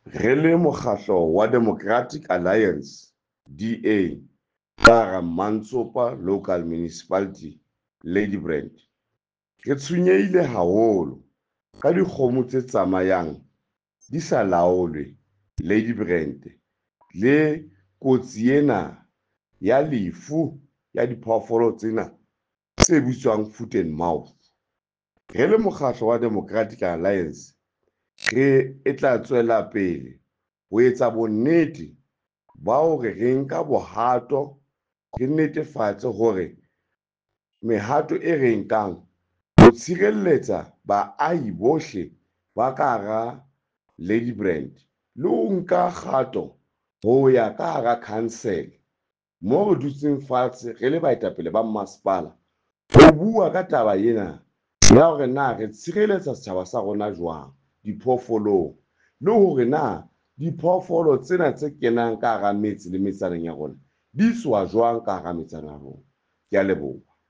Re le mokgahlo wa Democratic Alliance, DA, ka hara Mantsopa Local Municipality, Ladybrand, re tshwenyehile haholo ka dikgomo tse tsamayang di sa laolwe Ladybrand le kotsi ena ya lefu ya diphoofolo tsena tse bitswang foot and mouth. Re le mokgahlo wa Democratic Alliance, re e tla tswela pele ho etsa bonnete ba hore re nka bohato, re netefatse hore mehato e re nkang ho tshireletsa baahi bohle ba ka hara Ladybrand le ho nka kgato ho ya ka hara council mo re dutseng fatshe re le baetapele ba mmasepala ho bua ka taba ena ya hore na re tshireletsa setjhaba sa rona jwang diphoofolong, le hore na diphoofolo tsena tse kenang ka hara metse le metsaneng ya rona di tswa jwang ka hara metsana ya rona. Ke a leboha.